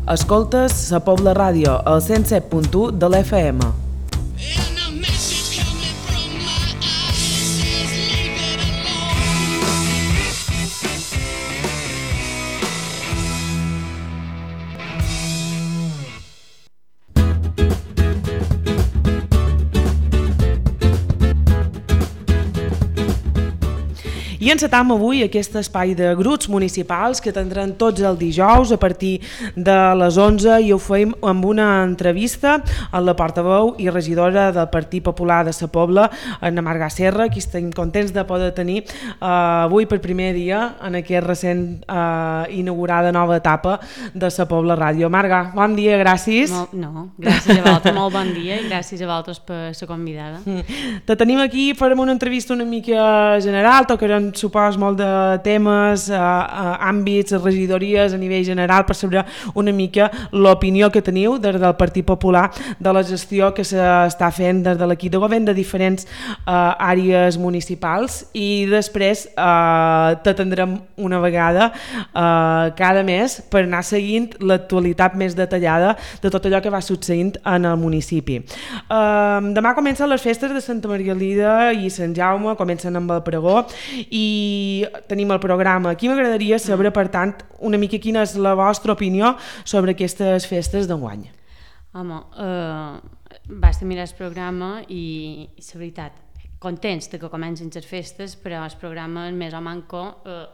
Escoltes Sa Pobla Ràdio, al 107.1 de l'FM. I encetam avui aquest espai de grups municipals que tindran tots el dijous a partir de les 11 i ho fem amb una entrevista a la portaveu i regidora del Partit Popular de Sa Pobla, Anna Marga Serra, qui estem contents de poder tenir avui per primer dia en aquesta recent inaugurada nova etapa de Sa Pobla Ràdio. Marga, bon dia, gràcies. Gràcies a vosaltres, molt bon dia i gràcies a vosaltres per ser convidada. Te tenim aquí, farem una entrevista una mica general, tocarem supos molt de temes, àmbits, regidories a nivell general per saber una mica l'opinió que teniu des del Partit Popular de la gestió que s'està fent des de l'equip de govern de diferents àrees municipals i després t'atendrem una vegada cada mes per anar seguint l'actualitat més detallada de tot allò que va succeint en el municipi. Demà comencen les festes de Santa Margalida i Sant Jaume, comencen amb el pregó i tenim el programa. Aquí m'agradaria saber, per tant, una mica quina és la vostra opinió sobre aquestes festes d'enguany. Home, vaig mirar el programa i la veritat, contents de que comencin les festes, però el programa més o manco,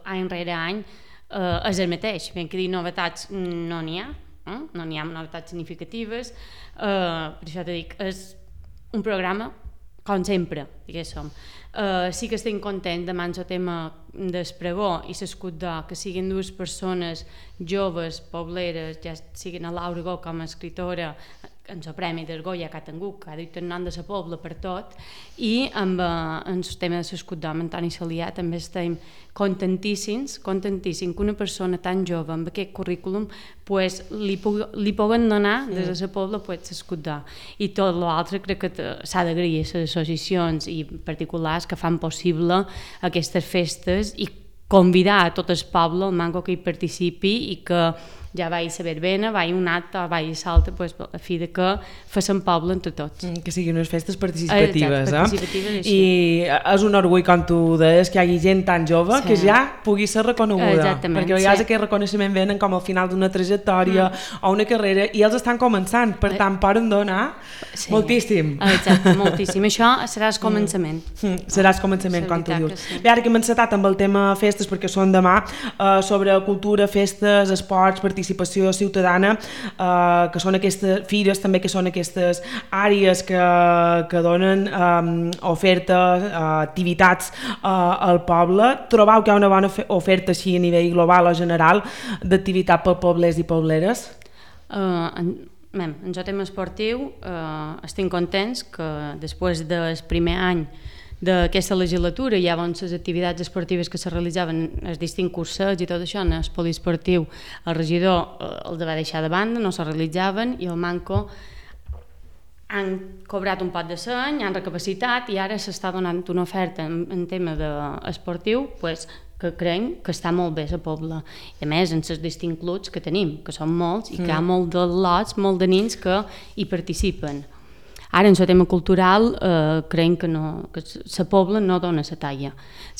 any rere any, és el mateix. Ben que dir novetats no n'hi ha, no n'hi ha novetats significatives, per això te dic, és un programa com sempre, diguéssim. Sí que estic content de mans el tema del pregó i l'escut d'or, que siguin dues persones joves, pobleres, ja siguin a Laura Gó com a escritora, en el Premi del Goya que ha tingut, que ha dit el nom de la Pobla per tot, i amb el tema de l'escut d'or, amb Antoni Salià, també estem contentíssims que una persona tan jove amb aquest currículum pues, li puguen donar des de la Pobla pues, l'escut d'or. I tot l'altre crec que s'ha d'agrair a les associacions i particulars que fan possible aquestes festes i convidar a tot el poble, el manco que hi participi i que ja vaig a la verbena, vaig un acte, vaig a l'altre, pues, a fi de que facin poble entre tots. Que siguin unes festes participatives. Exacte, participatives I és un orgull, com tu deies, que hi hagi gent tan jove que ja pugui ser reconeguda. Exactament, perquè a vegades aquest reconeixement venen com al final d'una trajectòria o una carrera i ells estan començant, per tant poden donar moltíssim. Exacte, moltíssim. Això serà el començament. Serà el començament, com tu dius. Bé, ara que hem encetat amb el tema festes, perquè són demà, sobre cultura, festes, esports, participació ciutadana, que són aquestes fires, també que són aquestes àrees que donen oferta, activitats al poble. Trobeu que hi ha una bona oferta així a nivell global o general d'activitat per poblers i pobleres? En el tema esportiu estem contents que després del primer any d'aquesta legislatura hi havia les activitats esportives que se realitzaven, els distints cursos i tot això, en el poliesportiu el regidor els va deixar de banda, no se realitzaven i el manco han cobrat un pot de seny, han recapacitat i ara s'està donant una oferta en tema esportiu pues, que creiem que està molt bé a la Pobla. I a més, en els distints clubs que tenim, que són molts i que hi ha molt de lots, molt de nens que hi participen. Ara, en el tema cultural, creiem que la Pobla no dona la talla.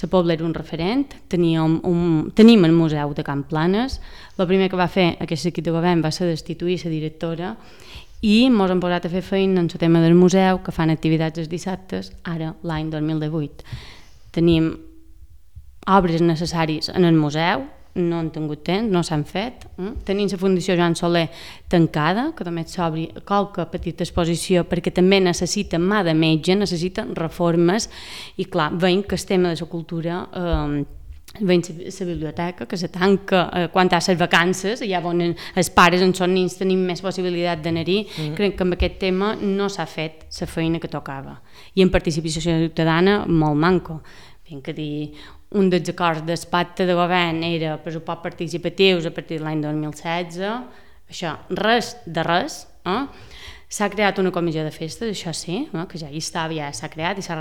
La Pobla era un referent, tenim el Museu de Can Planes, el primer que va fer aquest equip de govern va ser destituir la directora i ens hem posat a fer feina en el tema del museu, que fan activitats els dissabtes, ara l'any 2018. Tenim obres necessàries en el museu, no han tingut temps, no s'han fet. Tenim la Fundació Joan Soler tancada, que també s'obri qualque petita exposició perquè també necessita mà de metge, necessita reformes i clar, veiem que el tema de la cultura veiem la biblioteca que se tanca quan hi ha les vacances, ja on els pares en són nens tenim més possibilitat d'anar-hi. Crec que amb aquest tema no s'ha fet la feina que tocava i en participació ciutadana molt manco. Ben que dir, un dels acords del pacte de govern era pressupost participatius a partir de l'any 2016, això res de res. S'ha creat una comissió de festes, això sí, que ja hi estava, ja s'ha creat i s'ha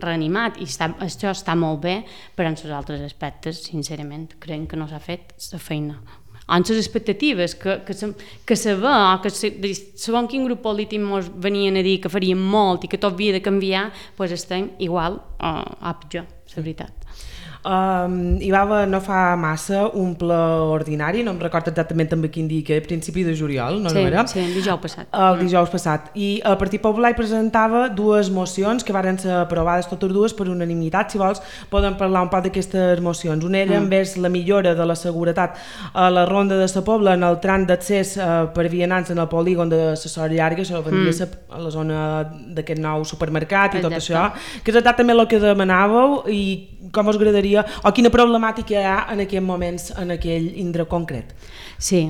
reanimat i això està molt bé, però en els altres aspectes, sincerament, creiem que no s'ha fet la feina en les expectatives que se ve, o que segons quin grup polític ens venien a dir que farien molt i que tot havia de canviar, doncs estem igual o pitjor, la veritat. Hi va haver no fa massa un ple ordinari, no em recordo exactament també quin dia, que a principi de juliol, no era? Sí, el dijous passat. El dijous passat. I el Partit Popular presentava dues mocions que varen ser aprovades totes dues per unanimitat. Si vols, podem parlar un poc d'aquestes mocions. Una era envers la millora de la seguretat a la ronda de sa Pobla en el tram d'accés per vianants en el polígon de la Sort Llarga, això vendria a la zona d'aquest nou supermercat i tot això, que és exactament el que demanàveu i com us agradaria, o quina problemàtica hi ha en aquests moments en aquell indret concret. Sí,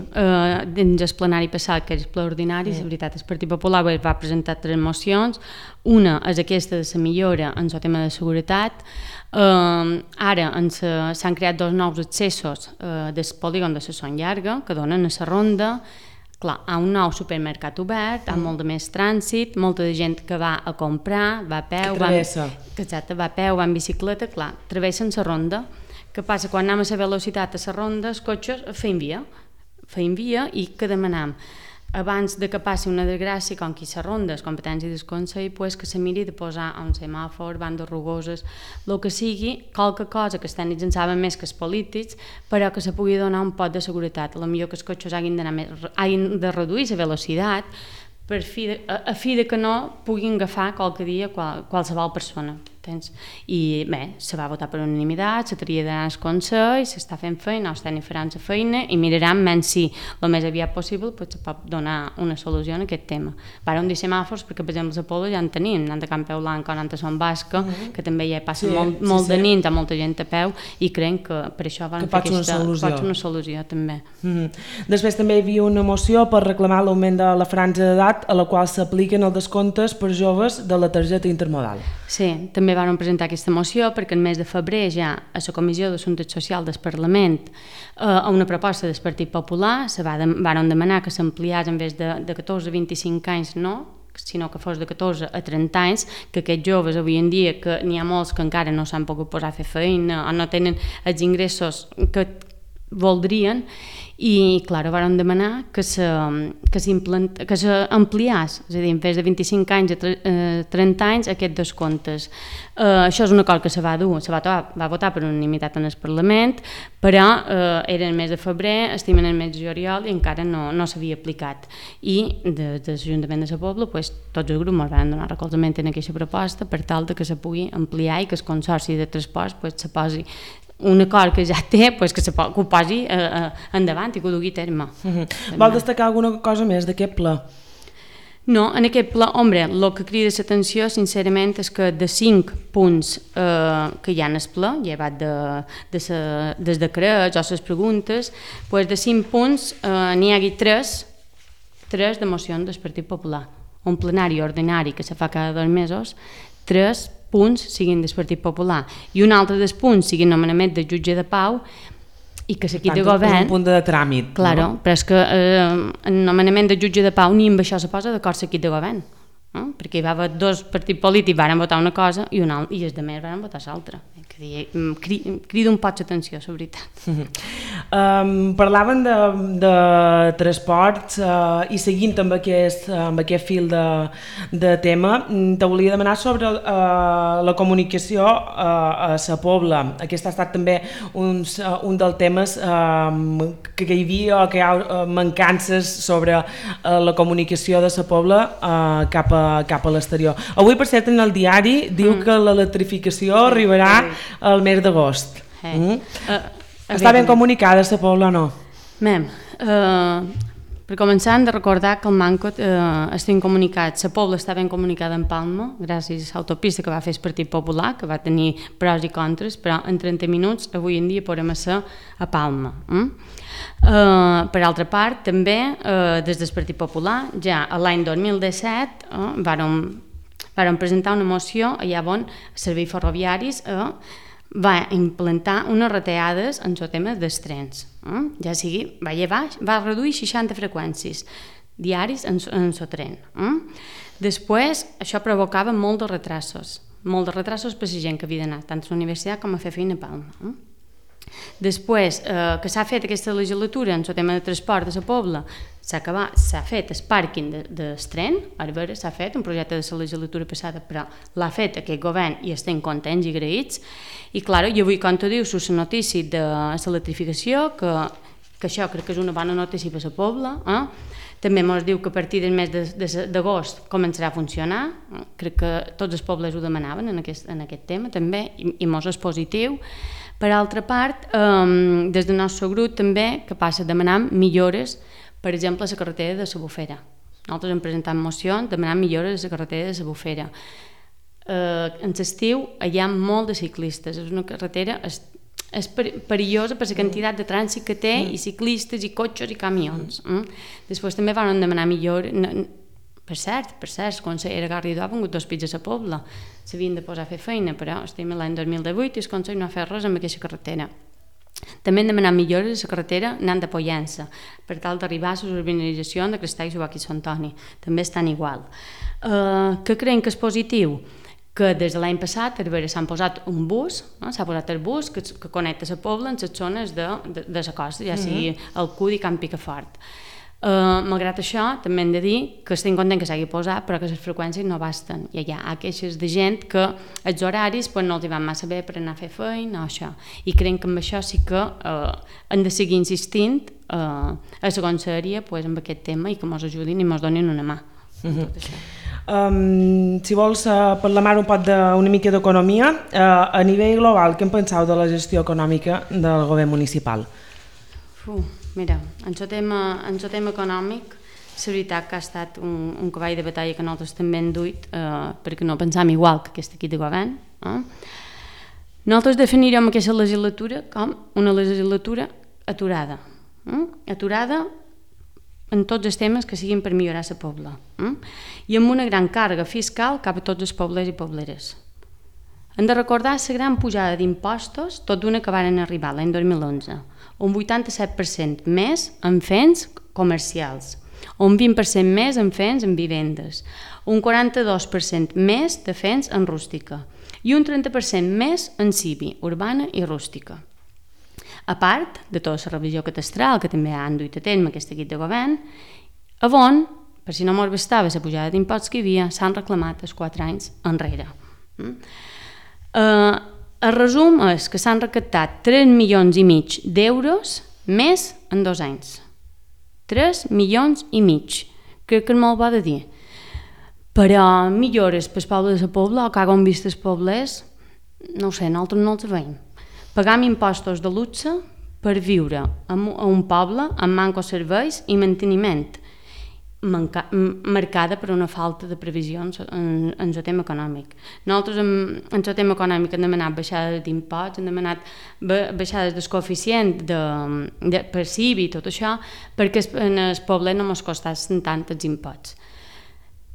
dins el plenari passat, que és el ple ordinari, la veritat, el Partit Popular va presentar 3 mocions. Una és aquesta de la millora en el tema de seguretat. Ara s'han creat 2 nous accessos del polígon de la Son Llarga, que donen a la ronda. Clar, hi ha un nou supermercat obert, hi ha molt de més trànsit, molta de gent que va a comprar, va a peu, va a peu, va en bicicleta, clar, travessen la ronda. Què passa? Quan anem a la velocitat a la ronda, els cotxes feien via i què demanam? Abans de que passi una desgràcia, com que la ronda és competència del Consell, pues que se miri de posar un semàfor, bandes rugoses, el que sigui, qualque cosa que els tècnics en saben més que els polítics, però que se pugui donar un pot de seguretat. A lo millor que els cotxes hagin de reduir la velocitat a fi de que no puguin agafar qualque dia qualsevol persona. I bé, se va votar per unanimitat, se tria d'anar al Consell, s'està fent feina, els tècnics faran la feina i miraran menys si el més aviat possible se pot donar una solució en aquest tema. Vàrem dir semàfors perquè, per exemple, a Pobla ja en tenim, anant de Campeu Blanc o anant a Son Basca, que també ja passa molt de nit, hi ha molta gent a peu i creiem que per això van fer aquesta... Pot ser una solució també. Després també hi havia una moció per reclamar l'augment de la franja d'edat a la qual s'apliquen els descomptes per joves de la targeta intermodal. Sí, també vam presentar aquesta moció perquè el mes de febrer ja a la Comissió d'Assumptes Socials del Parlament a una proposta del Partit Popular van demanar que s'ampliés en vez de 14 a 25 anys, sinó que fos de 14 a 30 anys, que aquests joves avui en dia, que n'hi ha molts que encara no s'han pogut posar a fer feina o no tenen els ingressos que voldrien, i clar, van demanar que s'ampliés, és a dir, en vez de 25 anys a 30 anys, aquests descomptes. Això és un acord que se va votar per unanimitat en el Parlament, però era el mes de febrer, estem en el mes de juliol i encara no s'havia aplicat. I des de l'Ajuntament de la Pobla, tots els grups van donar recolzament en aquesta proposta per tal que se pugui ampliar i que el Consorci de Transports se posi un acord que ja té, que ho posi endavant i que ho dugui a terme. Vol destacar alguna cosa més d'aquest ple? No, en aquest ple, el que crida l'atenció, sincerament, és que de 5 punts que hi ha en el ple, llevat dels decrets o les preguntes, de 5 punts n'hi hagi 3 de mocions del Partit Popular. Un plenari ordinari que se fa cada 2 mesos, 3 punts siguin del Partit Popular i un altre dels punts sigui nomenament de jutge de pau i que l'equip de govern... És un punt de tràmit. Claro, però és que en nomenament de jutge de pau ni amb això se posa d'acord l'equip de govern, perquè hi va haver 2 partits polítics van votar una cosa i els altres van votar l'altra. Crida un poc l'atenció, la veritat. Parlaven de transports i seguint amb aquest fil de tema, te volia demanar sobre la comunicació a la Pobla. Aquest ha estat també un dels temes que hi havia o que hi ha mancances sobre la comunicació de la Pobla cap a l'exterior. Avui, per cert, en el diari diu que l'electrificació arribarà al mes d'agost. Està ben comunicada la Pobla o no? Per començar hem de recordar que el Manco estem comunicats, la Pobla està ben comunicada en Palma gràcies a l'autopista que va fer el Partit Popular, que va tenir pros i contres, però en 30 minuts avui en dia podem ser a Palma. Per altra part, també des del Partit Popular, ja l'any 2017 varen presentar una moció allà on els serveis ferroviaris va implantar unes retallades en el tema dels trens. Ja sigui, va reduir 60 freqüències diaris en el tren. Després, això provocava molt de retrasos per la gent que havia d'anar tant a la universitat com a fer feina a Palma. Després, que s'ha fet aquesta legislatura en el tema de transport de la Pobla, s'ha fet el pàrquing del tren, ara veure, s'ha fet un projecte de la legislatura passada, però l'ha fet aquest govern i estem contents i agraïts. I clar, jo avui, com tu dius, la notícia de l'electrificació, que això crec que és una bona notícia per la Pobla, també ens diu que a partir del mes d'agost començarà a funcionar, crec que tots els pobles ho demanaven en aquest tema també, i ens és positiu. Per altra part, des del nostre grup també, que passa demanant millores, per exemple, a la carretera de la Bufera. Nosaltres hem presentat mocions demanant millores a la carretera de la Bufera. En l'estiu hi ha molt de ciclistes, és una carretera és perillosa per la quantitat de trànsit que té, i ciclistes, i cotxes, i camions. Després també van demanar millores. Per cert, el conseller Garrido ha vengut 2 pits a la Pobla, s'havien de posar a fer feina, però estem a l'any 2018 i el conseller no ha fet res amb aquesta carretera. També hem demanat millores a la carretera anant de Pollença, per tal d'arribar a les urbanitzacions de Crestall, Subac i Sant Antoni. També estan igual. Què creiem que és positiu? Que des de l'any passat s'han posat un bus, s'ha posat el bus que connecta la Pobla en les zones de la costa, ja sigui el CUD i Camp Picafort. Malgrat això, també hem de dir que estem contents que s'hagi posat, però que les freqüències no basten. Hi ha queixes de gent que els horaris no els van massa bé per anar a fer feina o això. I creiem que amb això sí que hem de seguir insistint a la conselleria amb aquest tema i que ens ajudin i ens donin una mà. Si vols parlar un poc d'una mica d'economia, a nivell global, què en penseu de la gestió econòmica del govern municipal? Mira, en el tema econòmic, la veritat que ha estat un cavall de batalla que nosaltres també hem duit, perquè no pensam igual que aquest equip de govern. Nosaltres definirem aquesta legislatura com una legislatura aturada. Aturada en tots els temes que siguin per millorar la Pobla. I amb una gran càrrega fiscal cap a tots els poblers i pobleres. Hem de recordar la gran pujada d'impostos, tot d'una que van arribar l'any 2011, un 87% més en féns comercials, un 20% més en féns en vivendes, un 42% més de féns en rústica i un 30% més en civi, urbana i rústica. A part de tota la revisió catastral que també han duit a terme aquest equip de govern, on, per si no mos bastava la pujada d'impostos que hi havia, s'han reclamat els 4 anys enrere. El resum és que s'han recaptat 3,5 milions d'euros més en 2 anys. 3,5 milions. Crec que és molt bo de dir. Però millores per al poble de la Pobla o que hagin vist els poblers, no ho sé, nosaltres no els veiem. Pagam impostos de luxe per viure a un poble amb manco serveis i manteniment, marcada per una falta de previsions en el tema econòmic. Nosaltres en el tema econòmic hem demanat baixades d'imposts, hem demanat baixades del coeficient per CIVI i tot això, perquè en el poble no ens costassin tant els imposts.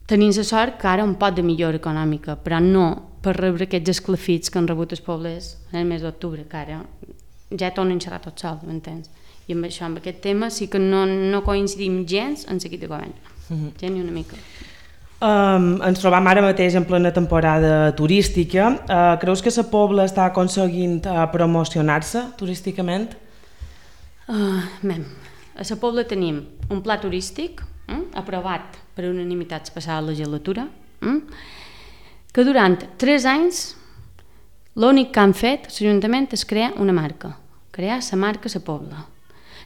Tenim la sort que ara un pot de millora econòmica, però no per rebre aquests esclafits que han rebut els pobles en el mes d'octubre, que ara ja tornen a xerrar tot sol, m'entens? I amb això, amb aquest tema, sí que no coincidim gens en l'equip de govern. Gens ni una mica. Ens trobam ara mateix en plena temporada turística. Creus que la Pobla està aconseguint promocionar-se turísticament? A la Pobla tenim un pla turístic aprovat per unanimitat la passada legislatura, que durant 3 anys l'únic que han fet l'Ajuntament és crear una marca, crear la marca La Pobla.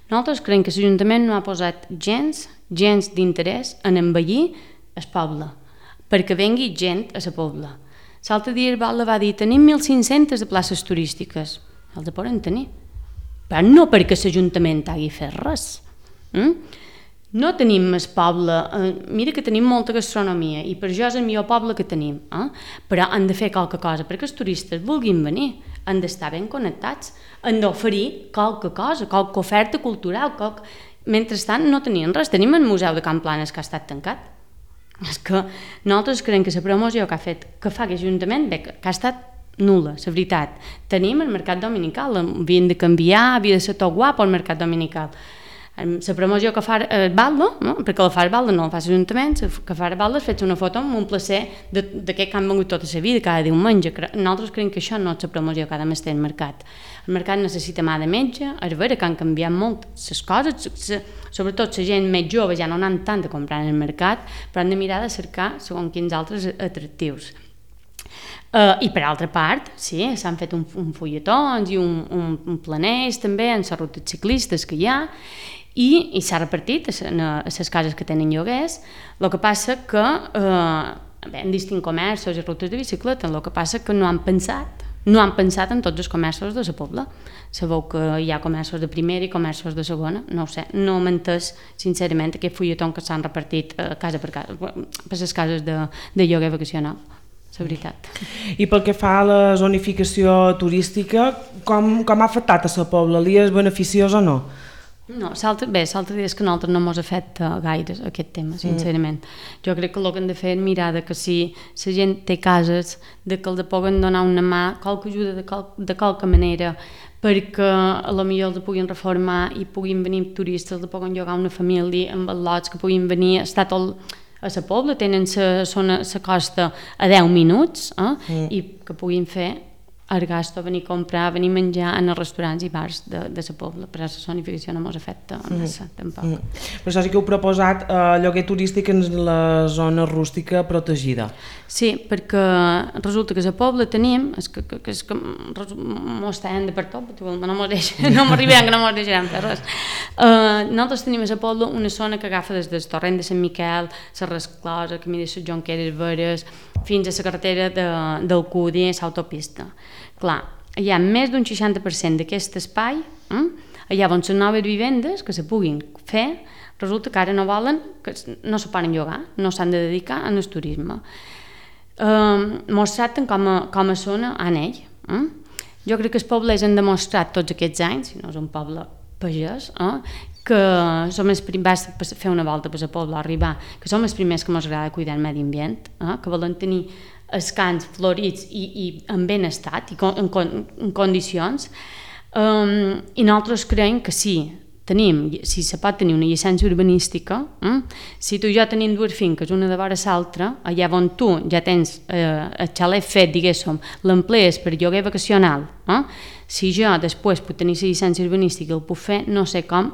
Nosaltres creiem que l'Ajuntament no ha posat gens d'interès en embellir el poble, perquè vengui gent a la Pobla. L'altre dia el Batlle va dir, tenim 1.500 de places turístiques. Els poden tenir, però no perquè l'Ajuntament hagi fet res. No tenim el poble, mira que tenim molta gastronomia i per això és el millor poble que tenim, però han de fer qualque cosa perquè els turistes vulguin venir, han d'estar ben connectats, han d'oferir qualque cosa, qualque oferta cultural, mentrestant no tenien res, tenim el Museu de Can Planes que ha estat tancat. És que nosaltres creiem que la promoció que fa aquest Ajuntament que ha estat nul·la, la veritat. Tenim el mercat dominical, havien de canviar, havia de ser tot guapo el mercat dominical. la promoció que fa el Baldo, no? Perquè la fa el Baldo, no la fa l'Ajuntament, que fa el Baldo és fer una foto amb un placer d'aquest que han vengut tota la vida, cada diumenge. Nosaltres creiem que això no és la promoció que ha de més el mercat. El mercat necessita mà de metge, és vera que han canviat molt les coses, sobretot la gent més jove ja no anan tant a comprar en el mercat, però han de mirar de cercar segons quins altres atractius. I per altra part, sí, s'han fet un fulletons i un planeix també en les rutes ciclistes que hi ha, i s'ha repartit a les cases que tenen lloguers. El que passa que en distints comerços i rutes de bicicleta, el que passa que no han pensat en tots els comerços de la Pobla. Sabeu que hi ha comerços de primera i comerços de segona, no ho sé, no m'he entès sincerament aquest fulletó que s'han repartit casa per casa, per les cases de lloguer vacacional, la veritat. I pel que fa a la zonificació turística, com ha afectat a la Pobla? Li és beneficiós o no? No, l'altre dia és que a nosaltres no ens afecta gaire aquest tema, sincerament. Jo crec que el que hem de fer és mirar que si la gent té cases, que els puguen donar una mà, qualque ajuda de qualque manera, perquè a lo millor els puguin reformar i puguin venir turistes, els puguin llogar una família amb lots que puguin venir, estar tot a la Pobla, tenen la costa a 10 minuts, i que puguin fer el gasto, venir a comprar, venir a menjar en els restaurants i bars de la Pobla, però la zonificació no ens afecta massa, tampoc. Per això sí que heu proposat lloguer turístic en la zona rústica protegida. Sí, perquè resulta que a la Pobla tenim, és que mos tenen de per tot, no m'arribaran que no mos deixaran fer res. Nosaltres tenim a la Pobla una zona que agafa des del torrent de Sant Miquel, la Resclosa, camí de les Jonqueres Veres, fins a la carretera del Cudi, l'autopista. Clar, hi ha més d'un 60% d'aquest espai, allà on les noves vivendes que se puguin fer, resulta que ara no volen, que no se poden llogar, no s'han de dedicar al turisme. Mos tracten com a zona anell. Jo crec que els pobles han demostrat tots aquests anys, si no és un poble pagès, que som els primers, vas fer una volta per la Pobla, arribar, que som els primers que ens agrada cuidar el medi ambient, que volen tenir els camps florits i en ben estat i en condicions, i nosaltres creiem que si se pot tenir una llicència urbanística, si tu i jo tenim dues finques, una de vora l'altra, allà on tu ja tens el xalet fet, diguéssim, l'emplees per lloguer vacacional, si jo després puc tenir la llicència urbanística i el puc fer, no sé com,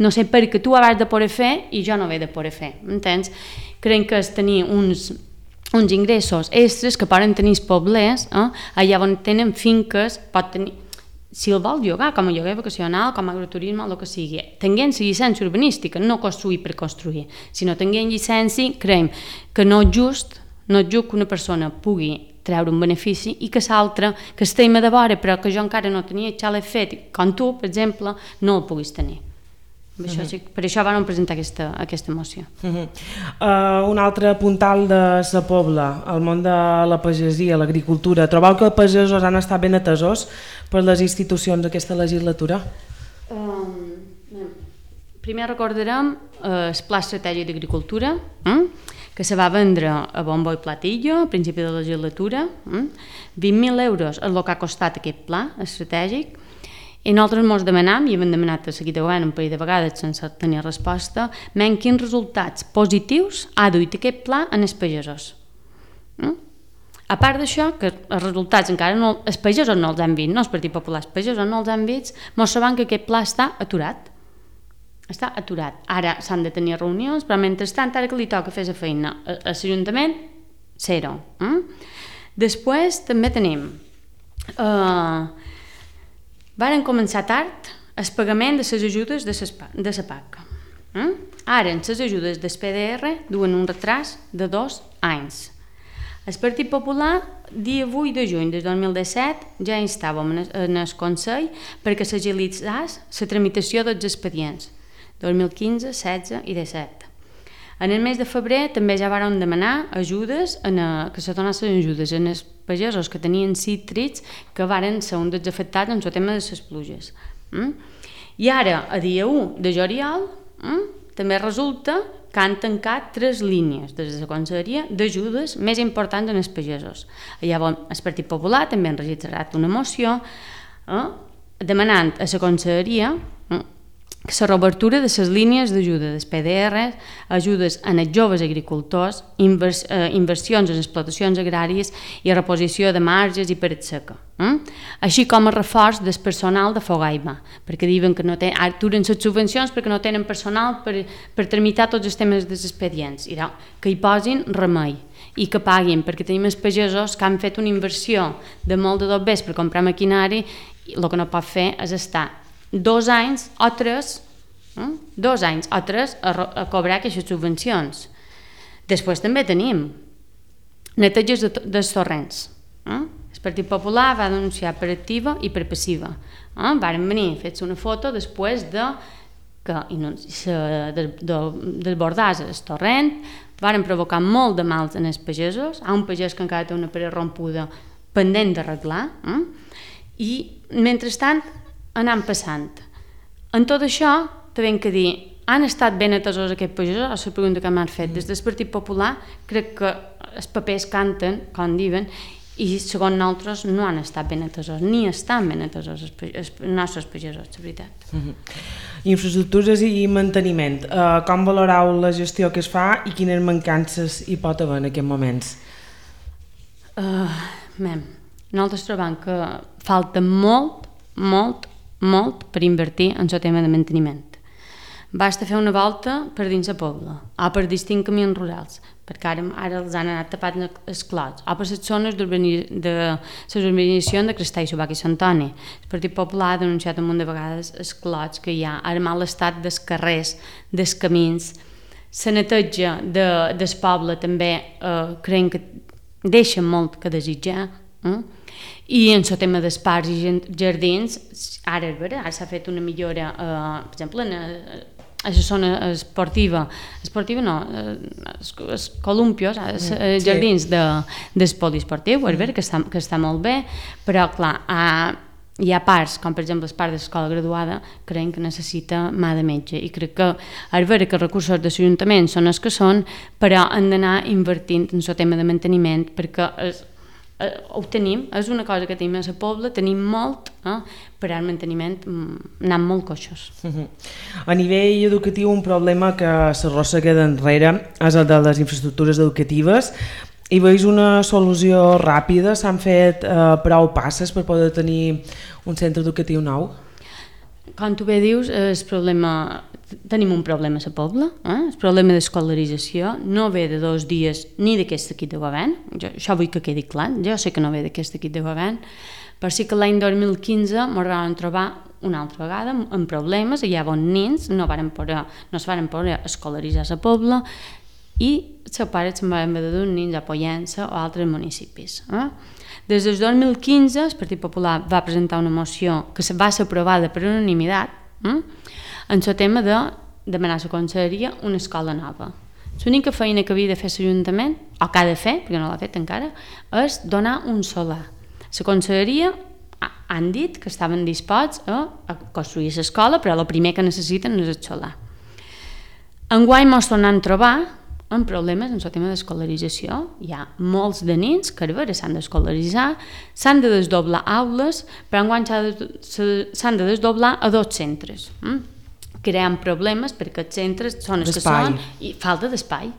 no sé per què tu ho has de poder fer i jo no ho he de poder fer, m'entens? Creiem que és tenir uns ingressos extres que poden tenir els poblers, allà on tenen finques, pot tenir, si el vol llogar com a lloguer vacacional, com a agroturisme, el que sigui, tenint la llicència urbanística, no construir per construir, sinó tenint llicència, creiem que no és just que una persona pugui treure un benefici i que l'altra, que estem a de vora però que jo encara no tenia el xalet fet, com tu, per exemple, no el puguis tenir. Per això vam presentar aquesta moció. Un altre puntal de la Pobla, el món de la pagesia, l'agricultura. Trobeu que els pagesos han estat ben atesos per les institucions d'aquesta legislatura? Primer recordarem el Pla Estratègic d'Agricultura, que se va vendre a bombo i platillo a principi de la legislatura. 20.000 euros és el que ha costat aquest pla estratègic. I nosaltres ens demanam, i hem demanat a seguir de govern un parell de vegades sense tenir resposta, quins resultats positius ha duit aquest pla en els pagesos. A part d'això, que els resultats encara no, els pagesos no els han vist, no els Partit Popular, els pagesos no els han vist, ens sabem que aquest pla està aturat. Està aturat. Ara s'han de tenir reunions, però mentrestant, ara que li toca fer la feina a l'Ajuntament, zero. Després també tenim... Varen començar tard el pagament de les ajudes de la PAC. Ara, les ajudes del PDR duen un retras de 2 anys. El Partit Popular, dia 8 de juny de 2017, ja instàvem en el Consell perquè s'agilitzés la tramitació dels expedients 2015, 16 i 17. En el mes de febrer també ja varen demanar ajudes, que se donessin ajudes en els pagesos que tenien cítrics que varen ser un dels afectats en el tema de les pluges. I ara, a dia 1 de juliol, també resulta que han tancat 3 línies des de la Conselleria d'ajudes més importants en els pagesos. Llavors, el Partit Popular també han registrat una moció demanant a la Conselleria la reobertura de les línies d'ajuda dels PDR, ajudes en els joves agricultors, inversions en explotacions agràries i reposició de marges i paret seca. Així com el reforç del personal de Fogaima, perquè diuen que no aturen les subvencions perquè no tenen personal per tramitar tots els temes dels expedients, que hi posin remei i que paguin, perquè tenim els pagesos que han fet una inversió de molt de dobbers per comprar maquinari i el que no pot fer és estar 2 anys o 3 a cobrar aquestes subvencions. Després també tenim neteges dels torrents. El Partit Popular va denunciar per activa i per passiva. Varen venir, fets una foto després que desbordàs el torrent, varen provocar molt de mals en els pagesos. Hi ha un pagès que encara té una paret rompuda pendent d'arreglar, i mentrestant anant passant. En tot això, t'hem de dir, han estat ben atesos aquests pagesos? És la pregunta que m'han fet. Des del Partit Popular crec que els papers canten, com diuen, i segons nosaltres no han estat ben atesos, ni estan ben atesos els nostres pagesos, la veritat. Infraestructures i manteniment. Com valoreu la gestió que es fa i quines mancances hi pot haver en aquests moments? Nosaltres trobem que falta molt per invertir en el tema de manteniment. Basta fer una volta per dins el poble, o per distints camins rurals, perquè ara els han anat tapant els clots, o per les zones de l'urbanització de Crestà i Subac i Sant Antoni. El Partit Popular ha denunciat un munt de vegades els clots que hi ha, el mal estat dels carrers, dels camins, la neteja del poble també creiem que deixa molt que desitjar, i en el tema dels parcs i jardins, ara s'ha fet una millora, per exemple, a la zona esportiva no, els columpios, els jardins del poliesportiu, que està molt bé, però clar, hi ha parts, com per exemple el parc de l'escola graduada, creiem que necessita mà de metge, i crec que és vera que els recursos de l'Ajuntament són els que són, però han d'anar invertint en el tema de manteniment, perquè ho tenim, és una cosa que tenim a la pobla, tenim molt, però el manteniment anant molt coixos. A nivell educatiu, un problema que s'arrossega d'enrere és el de les infraestructures educatives. Hi veus una solució ràpida? S'han fet prou passes per poder tenir un centre educatiu nou? Com tu bé dius, tenim un problema a la pobla, el problema d'escolarització no ve de 2 dies ni d'aquest equip de govern, això vull que quedi clar, jo sé que no ve d'aquest equip de govern, però sí que l'any 2015 ens vam trobar una altra vegada amb problemes, hi havia nens, no es van poder escolaritzar a la pobla, i els pares se'n van haver de dur nens a Pollença o altres municipis. Des del 2015 el Partit Popular va presentar una moció que va ser aprovada per unanimitat en el tema de demanar a la conselleria una escola nova. L'única feina que havia de fer l'Ajuntament, o que ha de fer, perquè no l'ha fet encara, és donar un solar. La conselleria han dit que estaven disposats a construir l'escola, però el primer que necessiten és el solar. Enguany ens tornem a trobar amb problemes en el tema d'escolarització. Hi ha molts de nens que s'han d'escolaritzar, s'han de desdoblar aules, però enguany s'han de desdoblar a 2 centres. Creant problemes perquè els centres són els que són i falta d'espai.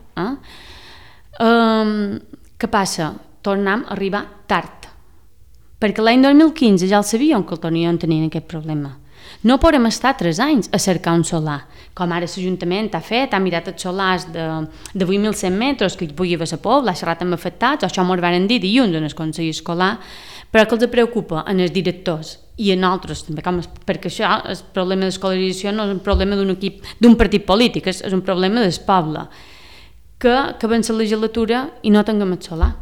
Què passa? Tornem a arribar tard, perquè l'any 2015 ja el sabíem que el tenien aquest problema. No podem estar 3 anys a cercar un solar, com ara l'Ajuntament ha fet, ha mirat els solars de 8.100 metres que hi pugui haver a la pobla, ha xerrat amb afectats, això m'ho van dir dilluns en el Consell Escolar, però que els preocupa en els directors i en altres també, perquè això, el problema d'escolarització no és un problema d'un equip, d'un partit polític, és un problema del poble, que avança la legislatura i no tinguem el solar.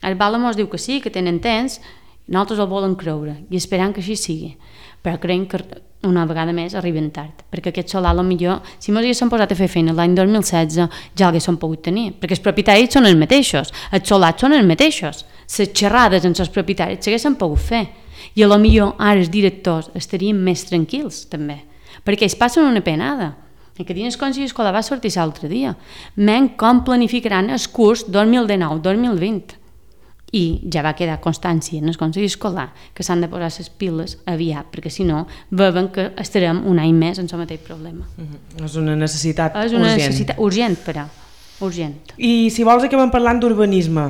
El Bala mos diu que sí, que tenen temps, nosaltres el volen creure i esperant que així sigui, però creiem que una vegada més arriben tard, perquè aquest solar potser, si ens haguéssim posat a fer feina l'any 2016 ja l'haguéssim pogut tenir, perquè els propietaris són els mateixos, els solars són els mateixos, les xerrades amb els propietaris s'haguessin pogut fer, i potser ara els directors estarien més tranquils també, perquè ells passen una penada. Aquest dia el Consell Escolar va sortir l'altre dia, com planificaran el curs 2019-2020, i ja va quedar constància en el Consell Escolar que s'han de posar les piles aviat, perquè si no veuen que estarem un any més en el mateix problema. És una necessitat urgent. És una necessitat urgent, però urgent. I si vols acabem parlant d'urbanisme.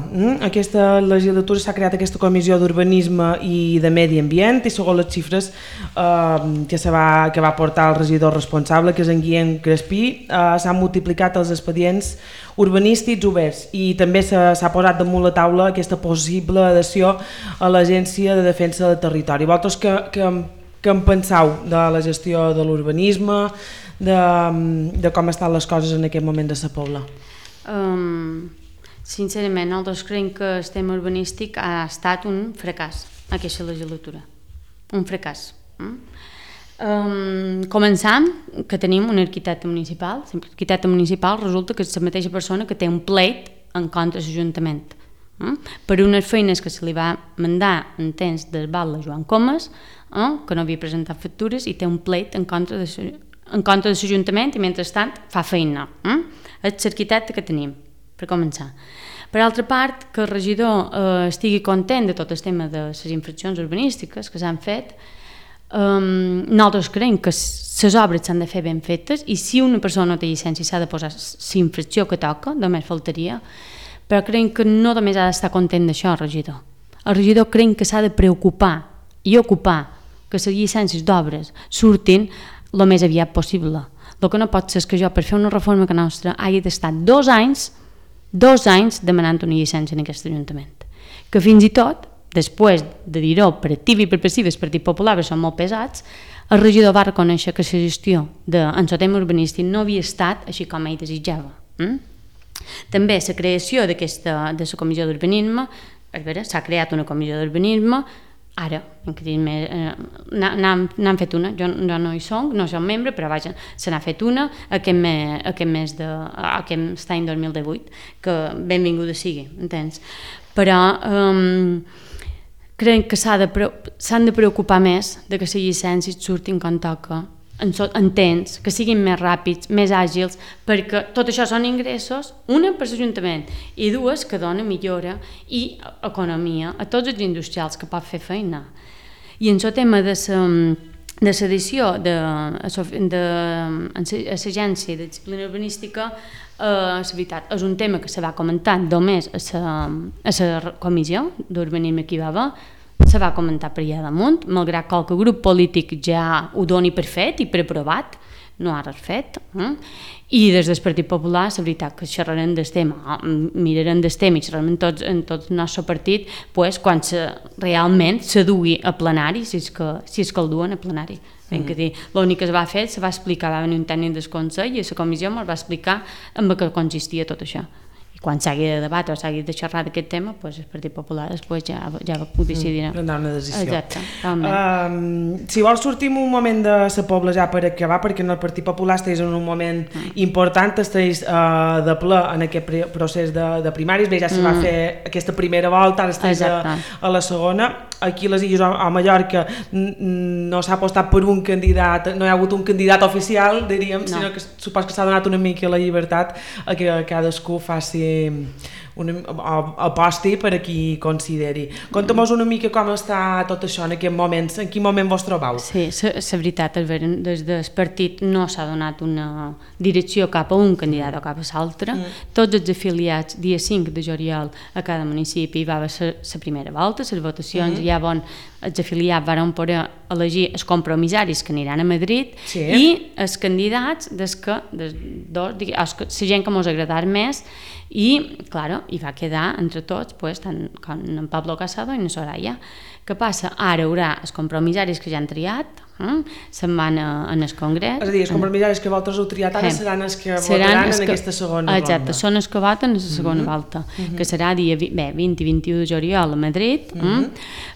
Aquesta legislatura s'ha creat aquesta comissió d'urbanisme i de medi ambient i segons les xifres que va portar el regidor responsable, que és en Guillem Crespí, s'han multiplicat els expedients urbanístics oberts i també s'ha posat damunt la taula aquesta possible adhesió a l'Agència de Defensa del Territori. Vosaltres què en penseu de la gestió de l'urbanisme, de com estan les coses en aquest moment de la Pobla? Sincerament, nosaltres creiem que el tema urbanístic ha estat un fracàs aquesta legislatura, un fracàs. Començant que tenim un arquitecte municipal. L'arquitecte municipal resulta que és la mateixa persona que té un pleit en contra de l'Ajuntament per unes feines que se li va mandar en temps del val de Joan Comas, que no havia presentat factures, i té un pleit en contra de l'Ajuntament i mentrestant fa feina. És l'arquitecte que tenim, per començar. Per altra part, que el regidor estigui content de tot el tema de les infraccions urbanístiques que s'han fet. Nosaltres creiem que les obres s'han de fer ben fetes i si una persona no té llicència s'ha de posar la infracció que toca, només faltaria, però creiem que no només ha d'estar content d'això el regidor. El regidor creiem que s'ha de preocupar i ocupar que les llicències d'obres surtin el més aviat possible. El que no pot ser és que jo, per fer una reforma que nostra, hagi d'estar 2 anys demanant una llicència en aquest Ajuntament. Que fins i tot, després de dir-ho per activa i per passiva, el Partit Popular, que són molt pesats, el regidor va reconèixer que la gestió en el tema urbanístic no havia estat així com ell desitjava. També la creació de la comissió d'urbanisme, s'ha creat una comissió d'urbanisme. Ara, n'han fet una, jo no hi soc, no soc membre, però vaja, se n'ha fet una aquest any 2018, que benvinguda sigui, entens? Però crec que s'han de preocupar més de que les llicències surtin quan toca, en temps, que siguin més ràpids, més àgils, perquè tot això són ingressos, una per l'Ajuntament i dues que dona millora i economia a tots els industrials que pot fer feina. I en el tema de l'addició a l'Agència de Disciplina Urbanística, és veritat, és un tema que se va comentar només a la comissió d'urbanisme que hi va haver, se va comentar per allà damunt, malgrat que qualque grup polític ja ho doni per fet i per aprovat, no ha res fet. I des del Partit Popular, la veritat que xerrarem del tema, mirarem del tema i xerrarem en tot el nostre partit quan realment se dugui a plenari, si és que el duen a plenari. L'únic que es va fer, se va explicar, va venir un tècnic del Consell i a la comissió ens va explicar en què consistia tot això. Quan s'hagi de debatre o s'hagi de xerrar d'aquest tema, el Partit Popular després ja ho decidirà. Prendrà una decisió. Exacte. Si vols sortim un moment de la Pobla ja per acabar, perquè en el Partit Popular estàs en un moment important, estàs de ple en aquest procés de primàries, bé, ja se va fer aquesta primera volta, ara estàs a la segona. Aquí a les Illes o a Mallorca no s'ha apostat per un candidat, no hi ha hagut un candidat oficial, diríem, sinó que supos que s'ha donat una mica la llibertat a que cadascú faci aposti per a qui consideri. Conta'm-nos una mica com està tot això en aquest moment, en quin moment vos trobeu? Sí, la veritat, des del partit no s'ha donat una direcció cap a un candidat o cap a l'altre. Tots els afiliats, dia 5 de juliol a cada municipi va haver la primera volta, les votacions, ja els afiliats van poder elegir els compromissaris que aniran a Madrid i els candidats la gent que mos agradarà més. I, clar, hi va quedar entre tots, tant en Pablo Casado i en Soraya. Què passa? Ara hi haurà els compromissaris que ja han triat, se'n van en el Congrés. És a dir, els compromissaris que vosaltres heu triat ara seran els que votaran en aquesta segona volta. Exacte, són els que voten en la segona volta, que serà dia 20 i 21 de juliol a Madrid,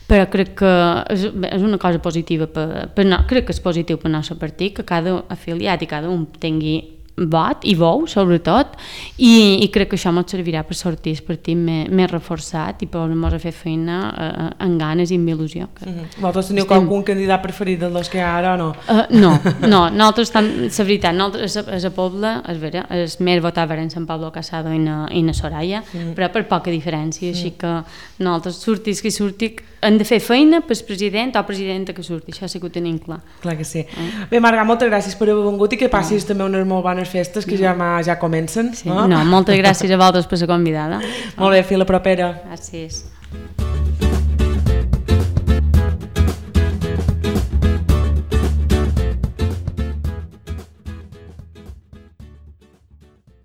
però crec que és una cosa positiva, crec que és positiu per al nostre partit, que cada afiliat i cada un tingui vot i bou, sobretot, i crec que això ens servirà per sortir el partit més reforçat i per a fer feina amb ganes i amb il·lusió. Vosaltres teniu algun candidat preferit dels que hi ha ara o no? No, nosaltres, la veritat, nosaltres a Pobla, el més votat eren Sant Pablo Casado i na Soraya, però per poca diferència, així que nosaltres surtis qui surti, hem de fer feina pel president o presidenta que surti, això sí que ho tenim clar. Clar que sí. Bé, Marga, moltes gràcies per haver vingut i que passis també unes molt bones festes que ja comencen. Sí. No, moltes gràcies a vosaltres per ser convidada. Molt bé, fins la propera. Gràcies.